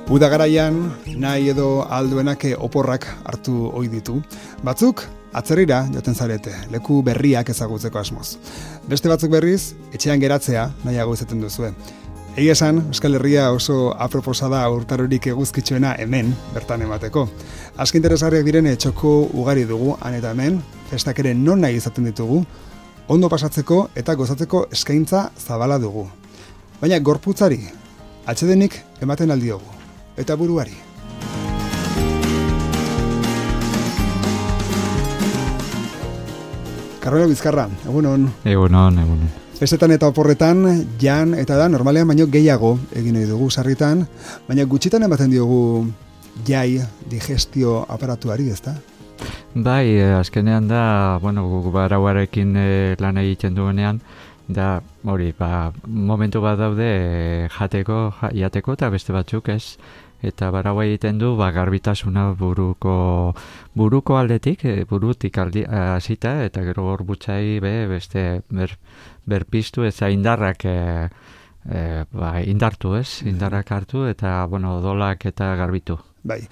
Uda garaian, nahi edo alduenak oporrak hartu ohi ditu. Batzuk, atzerrira joten zarete, leku berriak ezagutzeko asmoz. Beste batzuk berriz, etxean geratzea nahiago izaten duzue. Egia esan, Euskal Herria oso aproposa da urtarorik eguzkitsuena hemen, bertan emateko. Aski interesgarriak diren txoko ugari dugu, han eta hemen, festak ere non nahi izaten ditugu, ondo pasatzeko eta gozatzeko eskaintza zabala dugu. Baina gorputzari, atsedenik ematen aldiogu. Eta buruari. Carmelo Bizkarra, egunon. Egunon. Festetan eta oporretan, jan eta da, normalean baino gehiago egin nahi dugu sarritan, baina gutxitan ematen diogu jai digestio aparatuari, ezta? Bai, azkenean da, guk barauarekin lan egiten duenean, da, momentu bat daude jateko eta beste batzuk ez. Eta baraua egiten du garbitasuna buruko aldetik, burutik hasita eta gero gorputzai beste berpiztu eta indarrak indartu ez, indarrak hartu eta odolak eta garbitu. Bai.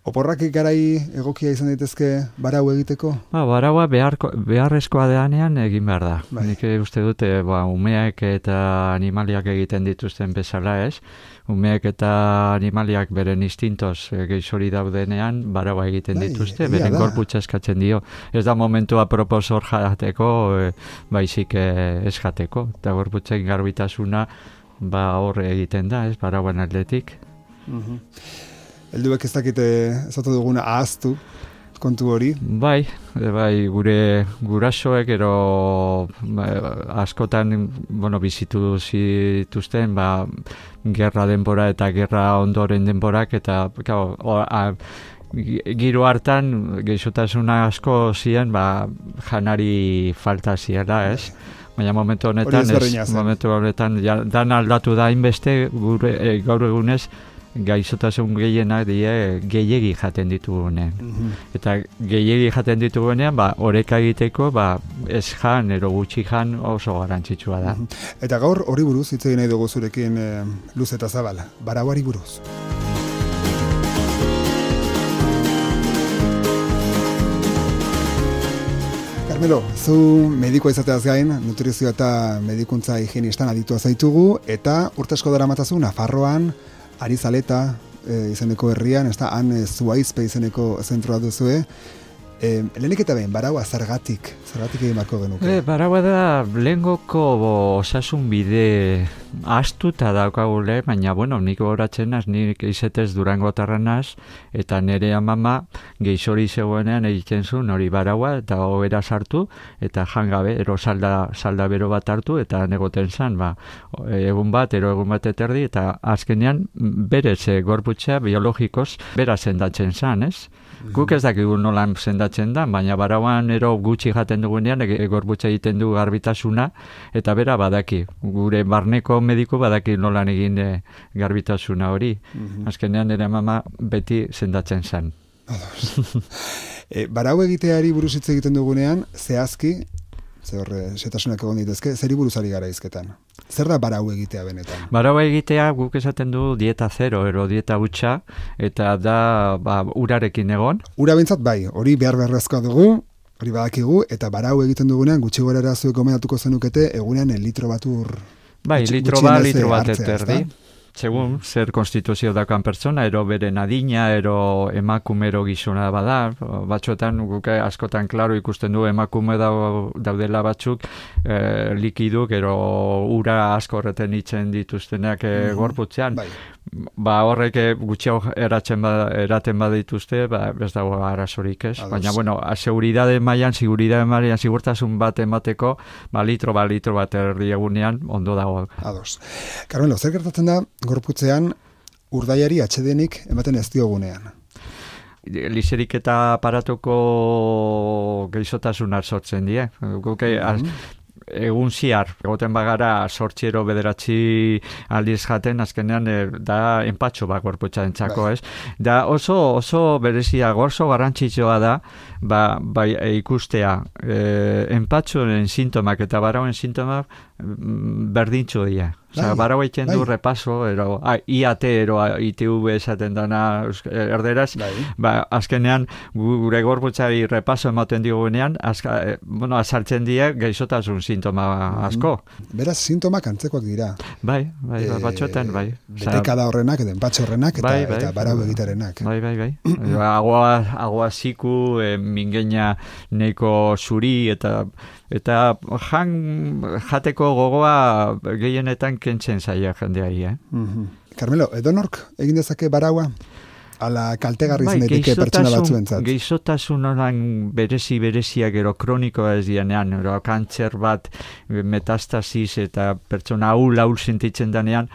Oporrak garai egokia izan daitezke barau egiteko? Baraua beharrezkoa deanean egin behar da. Bai. Nik uste dute umeak eta animaliak egiten dituzten bezala ez. Umeak eta animaliak beren instintoz gehizori daudenean baraua egiten dituzte, beren gorputza eskatzen dio. Ez da momentu apropos hor jateko, baizik ez jateko. Eta gorputzen garbitasuna hor egiten da, ez, barauan aldetik. Helduek ez dakite ezatu duguna ahaztu kontu hori. Bai, gure gurasoek ero askotan bizitu zituzten gerra denbora eta gerra ondoren denborak eta giro hartan gehiotasuna asko ziren janari falta ziela, ez? Baina momentu honetan dan aldatu da inbeste gaur egunez gaixotasun gehienak gehiegi jaten ditugunean. Eta gehiegi jaten ditugunean, oreka egiteko, ez jan, ero gutxi jan oso garrantzitsua da. Eta gaur hori buruz, hitz egin nahi dugu zurekin luz eta zabal, barauari buruz. Carmelo, zu medikoa izateaz gain, nutrizio eta medikuntza higienistan aditua zaitugu, eta urte asko daramatzazu Nafarroan, Arizaleta izeneko herrian, han Zuaizpe izeneko zentroa duzue. Lehenik eta behin, baraua zergatik egin marko genuke? Baraua da lehengoko osasun bide astuta daukagule, baina nik horatzen naz, nik izetez Durango tarranaz, eta nire amama gehizori zegoenean egiten zuen hori baraua, eta hobera sartu, eta jangabe, ero salda bero bat hartu, eta negoten zan, egun bat eterdi, eta azkenean berez gorputzea biologikoz bera sendatzen zan, ez? Guk ez dakigu nolan sendatzen da, baina barauan ero gutxi jaten dugunean gorputza egiten du garbitasuna, eta bera badaki, gure barneko mediku badaki nolan egin garbitasuna hori. Azkenean ere mama beti sendatzen zen. Barau egiteari buruz hitz egiten dugunean, zehazki, setasunak egon ditezke, zeri buruzari gara izketan? Zer da barau egitea benetan? Barau egitea guk esaten du dieta zero, ero dieta hutsa, eta da urarekin egon. Ura bintzat bai, hori beharrezkoa dugu, hori badakigu, eta barau egiten dugunean gutxi gorera zuek gomendatuko zenukete egunean litro bat ur. Bai, litro bat eterdi. Segun, zer konstituzio dakan pertsona, ero beren adina, ero emakumero gizona bada, batzuetan guk askotan klaro ikusten du emakume daudela batzuk likiduk, ero ura asko horreten itzen dituztenak gorputzean. Horrek gutxiago eraten badituzte, ez dago arazorik ez. Baina, seguridade mailan, sigurtasun bat emateko, litro bat erdi egunean, ondo dago. Ados. Carmelo, zer gertatzen da gorputzean urdaiari atsedenik ematen ez diogunean? Lizerik eta aparatuko gehizotasunak sortzen die. Egun ziar, egoten bagara 8 edo 9 aldiz jaten, azkenean da enpatxo gorputzaren txako, ez? Da oso berezia, oso garrantzitsua da, ikustea enpatxoren sintomak eta barauen sintomak berdintxo dira. Osea, barau egiten du repaso, ero, IAT, ero ITV esaten dana erderaz, azkenean gure gorputzari repaso ematen digunean, azaltzen die gaixotasun sintoma asko. Beraz, sintomak antzekoak dira. Bai, batxotan, bai. Betekada horrenak, edo enpatxe horrenak, eta barau egitarenak. Bai. Agua ziku, mingeina neiko zuri, eta jateko gogoa gehienetan kentzen zaila jendeari, Carmelo, edonork egin dezake baraua? Ala kaltegarri zenetike pertsona batzuentzat. Geizotasun horan berezia gero kronikoa ez dianean, kantzer bat, metastasis eta pertsona ahul sentitzen danean,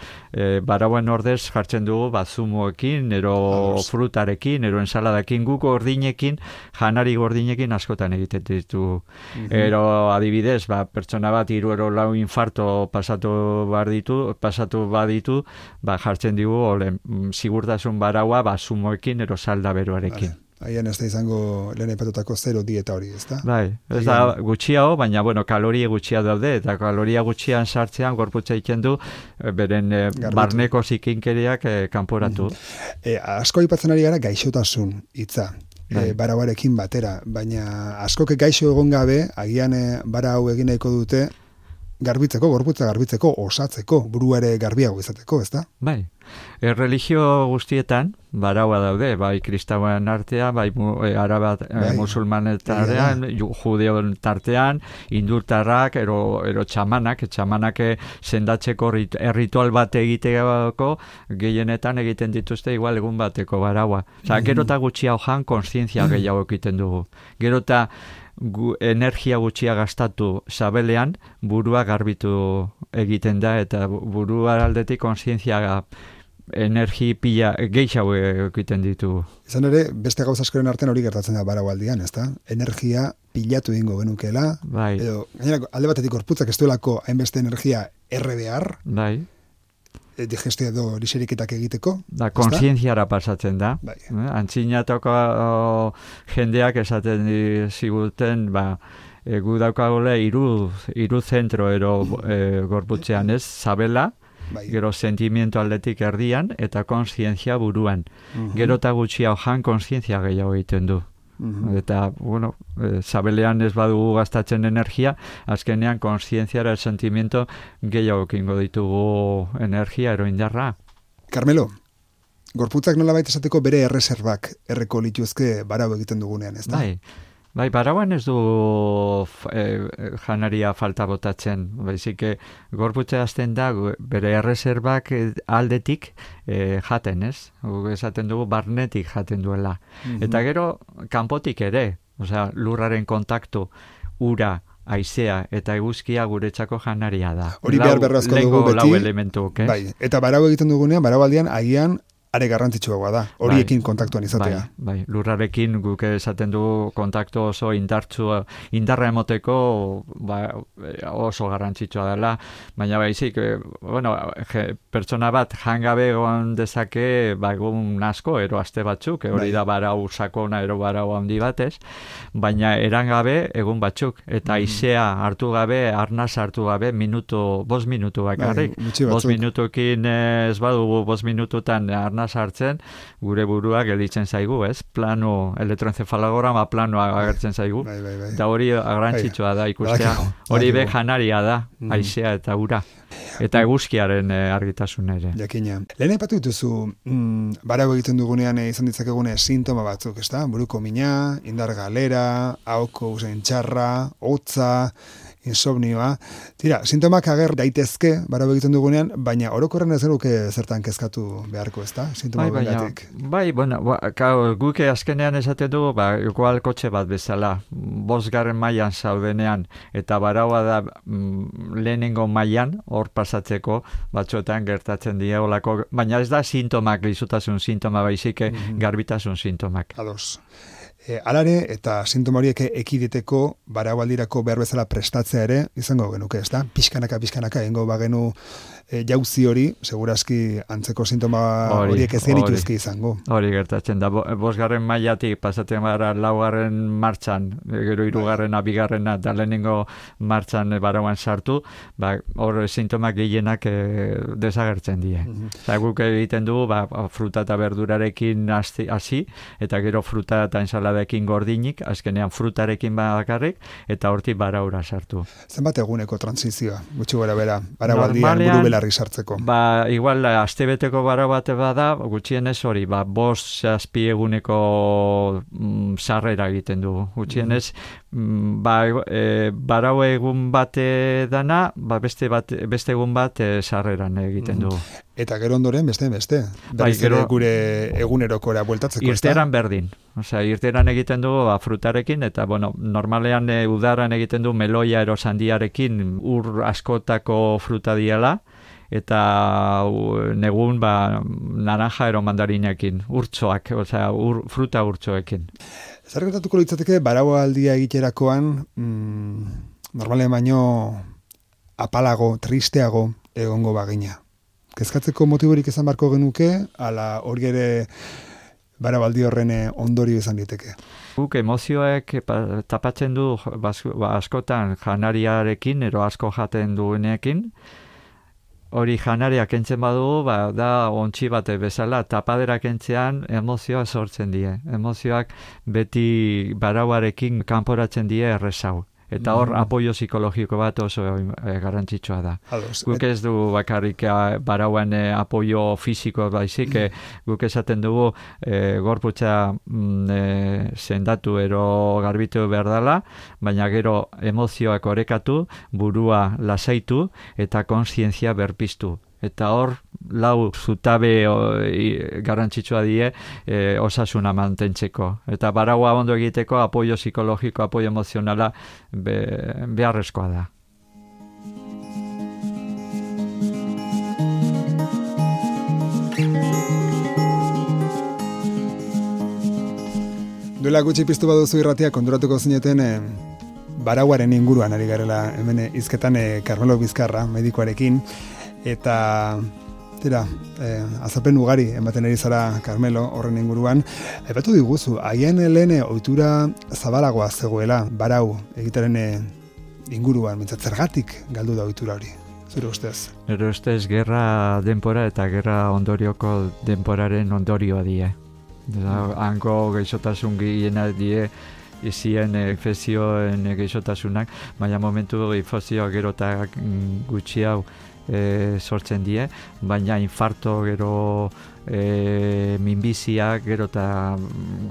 barauen ordez jartzen dugu zumoekin, ero frutarekin, ero ensaladakin, guk gordinekin, janari gordinekin askotan egiten ditu. Ero adibidez, pertsona bat 3 edo 4 infarto pasatu baditu, jartzen dugu sigurtasun baraua zumoekin ero salda beroarekin. Aian ez da izango lehen aipatutako 0 dieta hori, ez da? Bai, ez da gutxiago, baina kaloria gutxia daude, eta kaloria gutxian sartzean gorputza egiten du beren barneko zikinkeriak kanporatu. Asko aipatzen ari gara gaixotasun hitza. Barauarekin batera, baina askoke gaixo egon gabe, agian barau egin nahiko dute garbitzeko, gorputza garbitzeko, osatzeko, buruare garbiago izateko, ez da? Bai. Religio guztietan baraua daude, bai kristauen artean, bai arabat musulmanetan, judeon tartean, indurtarrak, ero txamanak sendatzeko ritual bat egiteko gehienetan egiten dituzte igual egun bateko baraua. Gero eta gutxia hojan konstientzia gehiago egiten dugu. Gero eta energia gutxia gastatu sabelean, burua garbitu egiten da, eta burua aldetik konstientzia energi pila gehiago egiten ditu. Izan ere, beste gauza askoren artean hori gertatzen da baraualdian, ezta? Energia pilatu egingo genukeela, edo gainera alde batetik gorputzak ez duelako hainbeste energia behar, digestio edo liseriketak egiteko. Kontzientziara pasatzen da. Antzinatoko jendeak esaten ziguten, gu daukagole 3 zentro ero gorputzean ez, sabela, gero sentimiento aldetik erdian, eta kontzientzia buruan. Gero eta gutxia hojan kontzientzia gehiago egiten du. Eta, sabelean ez badugu gastatzen energia, azkenean kontzientziara sentimiento gehiago kingo ditugu energia eroindarra. Carmelo, gorputzak nolabait esateko bere erreserbak erreko lituzke barau egiten dugunean, ez da? Bai, barauan ez du janaria falta botatzen, baizik gorputza azten da bere erreserbak aldetik jaten, ez? Esaten dugu barnetik jaten duela. Eta gero kanpotik ere, lurraren kontaktu, ura, haizea eta eguzkia guretzako janaria da. Hori behar berrazko dugu beti. Lau elementuk, eta barau egiten dugunean, baraualdian agian are garrantzitsuagoa da, horiekin kontaktuan izatea. Bai, lurrarekin guk esaten dugu kontaktu oso indarra emoteko oso garrantzitsua dela, baina baizik, pertsona bat jangabe egon dezake egun asko, ero aste batzuk, hori da barau sakona, ero barau handi batez, baina erangabe egun batzuk, eta haizea hartu gabe, arnaz hartu gabe, 5 minutu bakarrik. 5 minutukin ez badugu 5 minututan arnaz hartzen, gure burua gelditzen zaigu, ez? Plano, elektroencefalograma planoa agertzen zaigu. Eta hori garrantzitsua da ikustea. Hori be janaria da, haizea eta ura. Eta eguzkiaren argitasun ere. Jakina. Lehen aipatu dituzu, barau egiten dugunean izan ditzakegune sintoma batzuk, ez da? Buruko mina, indar galera, ahoko usain txarra, hotza, insomnioa. Tira, sintomak ager daitezke barau egiten dugunean, baina orokorren ez genuke zertan kezkatu beharko, ez da? Sintoma bengatik. Guk azkenean esaten dugu, igual kotxe bat bezala, 5. mailan zaudenean, eta baraua da lehenengo mailan, hor pasatzeko, batzuetan gertatzen die olako, baina ez da sintomak, gaixotasun sintoma baizik, garbitasun sintomak. Ados. Alare eta sintoma horiek ekiditeko baraualdirako behar bezala prestatzea ere izango genuke, ez da? Pixkanaka egingo bagenu jauzi hori, segurazki antzeko sintoma horiek ez genituzke izango. Hori gertatzen da, 5. mailatik pasatzen gara 4. martxan, gero 3. 2. eta lehenengo martxan barauan sartu, hor sintomak gehienak desagertzen die. Guk egiten du, fruta eta berdurarekin hasi, eta gero fruta eta ensaladekin gordinik, azkenean frutarekin bakarrik, eta hortik baraura sartu. Zenbat eguneko transizioa, gutxi gora bera, baraualdian buru belarri sartzeko? Igual, astebeteko barau bat bada, gutxienez hori, 5-6 eguneko sarrera egiten du. Gutxienez, barau egun bate dana, beste egun bat sarreran egiten du. Eta gero ondoren beste. Berriz ere gure egunerokora bueltatzeko. Irteran berdin. Irteran egiten du frutarekin, eta normalean udaran egiten du meloia ero sandiarekin ur askotako fruta diela, eta negun naranja ero mandarinekin, urtsoak, fruta urtsoekin. Zer gertatuko litzateke baraualdia egiterakoan, normalean baino apalago, tristeago egongo bagina. Kezkatzeko motiborik izan barko genuke, ala hori ere baraualdi horren ondorio izan diteke. Guk emozioek tapatzen du askotan janariarekin, ero asko jaten duenekin, hori janaria kentzen badu, da ontsi bate bezala, tapadera kentzean emozioa sortzen die. Emozioak beti barauarekin kanporatzen die errezau. Eta hor, apoio psikologiko bat oso garrantzitsua da. Guk ez du bakarrik barauan apoio fisiko baizik, guk esaten dugu gorputza sendatu ero garbitu behar dela, baina gero emozioak orekatu, burua lasaitu eta kontzientzia berpiztu. Eta hor, 4 zutabe garrantzitsua die osasuna mantentzeko. Eta baraua ondo egiteko apoio psikologiko, apoio emozionala beharrezkoa da. Duela gutxi piztu baduzu irratia konturatuko zineten barauaren inguruan ari garela hemen hizketan Carmelo Bizkarra medikoarekin. Eta azapen ugari ematen ari zara Carmelo horren inguruan. Aipatu diguzu, haien lehen ohitura zabalagoa zegoela barau egitaren inguruan, mintzat zergatik galdu da ohitura hori, zure ustez? Nire ustez gerra denpora eta gerra ondorioko denporaren ondorioa die. Hango gaixotasun gehiena die, izien infekzioen gaixotasunak, baina momentu infekzioa gero eta gutxi hau sortzen die, baina infarto gero minbiziak gero eta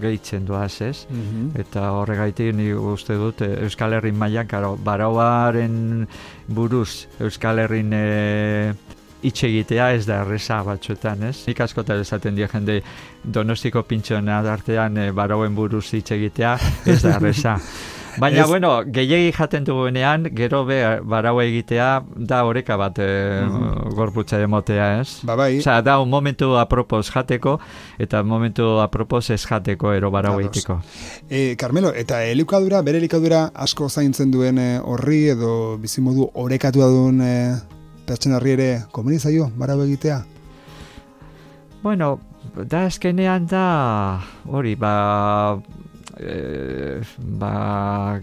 gehitzen doaz, ez? Eta horregaitik ni uste dut Euskal Herrin mailan, barauaren buruz Euskal Herrin hitz egitea ez da erreza batzuetan, ez? Nik askotan esaten die jende Donostiko pintxoen artean barauen buruz hitz egitea ez da erreza. Baina, gehiegi jaten dugunean, gero barau egitea da oreka bat gorputza emotea, ez? Bai. Osea, da un momentu apropos jateko, eta momentu apropos ez jateko ero barau egiteko. Carmelo, eta bere elikadura asko zaintzen duen horri, edo bizimodu orekatua duen pertsonarri ere komeni zaio barau egitea? Da azkenean da hori,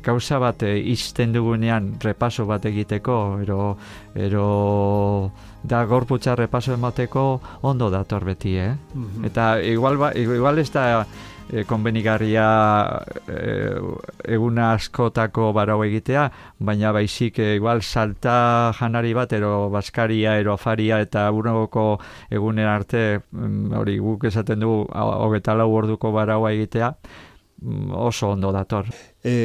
gauza bat izten dugunean repaso bat egiteko, ero da gorputza repaso emateko ondo dator beti, Eta igual ez da konbenigarria eguna askotako barau egitea, baina baizik igual salta janari bat, ero baskaria, ero afaria, eta urrengoko egunen arte, hori guk esaten du 24 orduko baraua egitea, oso ondo dator.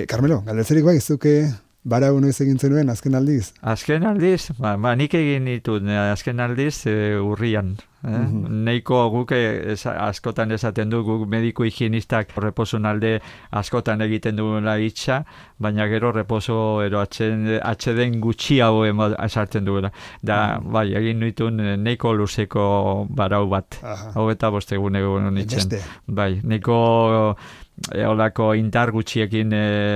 Carmelo, galdetzerik bai, zuke barau noiz egin zenuen azken aldiz? Azken aldiz? Nik egin ditut azken aldiz urrian. Neiko guk askotan esaten du, guk mediku higienistak reposun alde askotan egiten duela hitza, baina gero reposo ero atxeden gutxiago esartzen duela. Da, bai, egin nituen neiko luzeko barau bat. Hau eta bostegun egun nitzen. Bai, neiko olako indar gutxiekin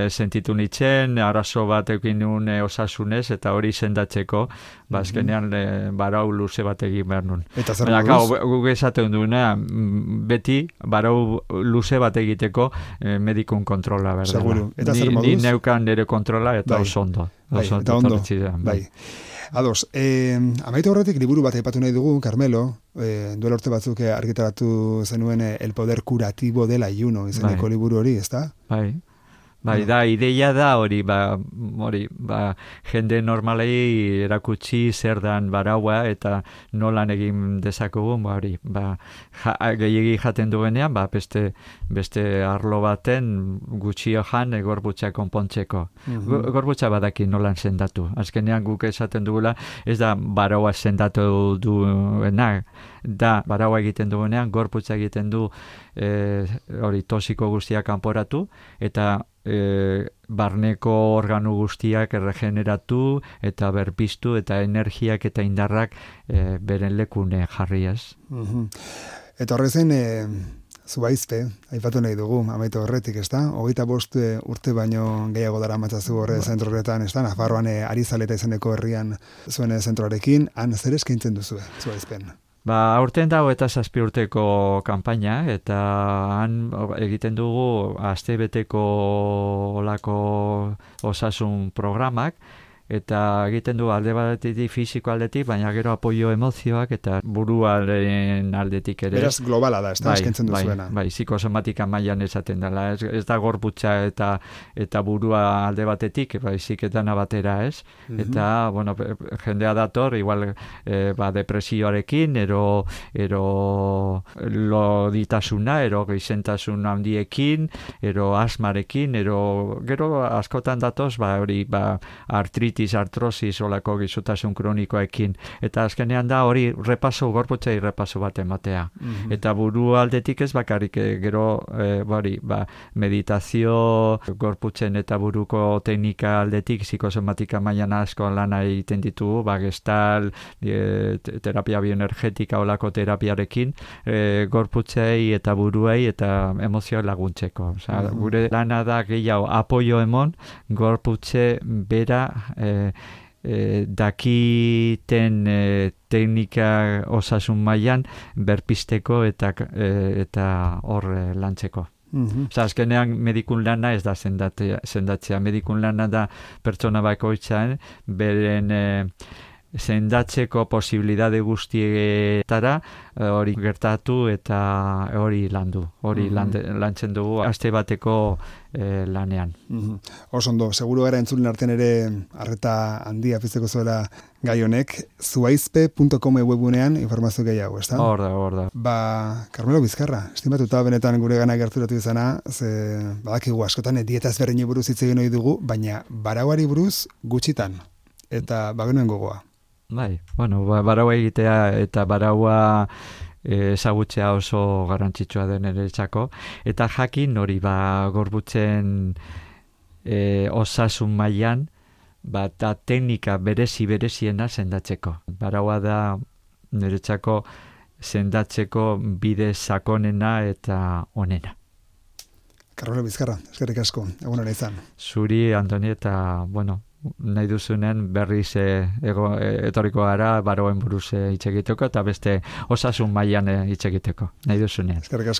sentitu nitzen, arazo bat egin nuen osasunez, eta hori sendatzeko, azkenean barau luze bat egin behar nuen. Eta zer moduz? Guk esaten duena, beti barau luze bat egiteko medikun kontrola, berdela. Seguru. Eta zer moduz? Ni neukan nire kontrola eta oso ondo. Eta ondo. Bai. Ados, amaitu horretik liburu bat aipatu nahi dugu, Carmelo, duela urte batzuk argitaratu zenuen El poder curativo del ayuno, izeneko liburu hori, ezta? Bai, da, ideia da hori, jende normalei erakutsi zer dan baraua eta nolan egin dezakugun, gehiegi jaten duenean, beste arlo baten gutxio jan gorputza konpontzeko. Gorputza badaki nolan sendatu. Azkenean guk esaten dugula, ez da baraua sendatu duena, da baraua egiten duenean, gorputza egiten du hori tosiko guztiak kanporatu, eta barneko organu guztiak erregeneratu eta berpiztu eta energiak eta indarrak beren lekune jarriaz. Eta horrezen Zuaizpe, aipatu nahi dugu, amaitu horretik, ez da? 25 urte baino gehiago dara matzazu horre zentro horretan, ez da? Nafarroan Arizaleta izeneko herrian zuen zentroarekin, han zer eskaintzen duzu, Zuaizpen? Aurten dago eta 7 urteko kanpaina, eta han egiten dugu astebeteko olako osasun programak, eta egiten du alde batetik fisiko aldetik, baina gero apoio emozioak eta buruaren aldetik ere. Beraz globala da, ez da eskaintzen duzuena. Bai, psikosomatika mailan esaten dela, ez da gorputza eta burua alde batetik, baizik eta batera, ez? Eta, bueno, jendea dator, igual depresioarekin, ero loditasuna, ero gizentasun handiekin, ero asmarekin, ero gero askotan datoz, hori, artrosis olako gizutasun kronikoekin. Eta azkenean da hori gorputzei repaso bat ematea. Eta buru aldetik ez bakarrik gero meditazio gorputzen eta buruko teknika aldetik psikosomatika mailan asko lana egiten ditugu, gestal, terapia bioenergetika olako terapiarekin, gorputzei eta buruei eta emozioak laguntzeko. Gure lana da gehiago apoio emon gorputze bera dakiten teknika osasun mailan berpisteko eta hor lantzeko. Azkenean medikun lana ez da sendatzea. Medikun lana da pertsona bakoitzan beren sendatzeko posibilidade guztietara hori gertatu eta hori landu. Hori lantzen dugu aste bateko lanean. Oso ondo, seguru gara entzulen artean ere arreta handia pizteko zuela gai honek, zuaizpe.com webunean informazio gehiago, ez da? Hor da. Carmelo Bizkarra, estimatuta benetan gure gana gerturatu izana, badakigu askotan dieta ezberdinei buruz hitz egin ohi dugu, baina barauari buruz gutxitan, eta bagenuen gogoa. Bai, baraua egitea eta baraua ezagutzea oso garrantzitsua den niretzako, eta jakin hori gorputzen osasun mailan eta teknika bereziena sendatzeko. Baraua da niretzako sendatzeko bide sakonena eta onena. Carmelo Bizkarra, eskerrik asko, egun hona izan. Zuri, Antoni, eta, nahi duzunen berriz etorriko gara barauen buruz hitz egiteko eta beste osasun mailan hitz egiteko. Nahi duzunen. Eskerrik asko.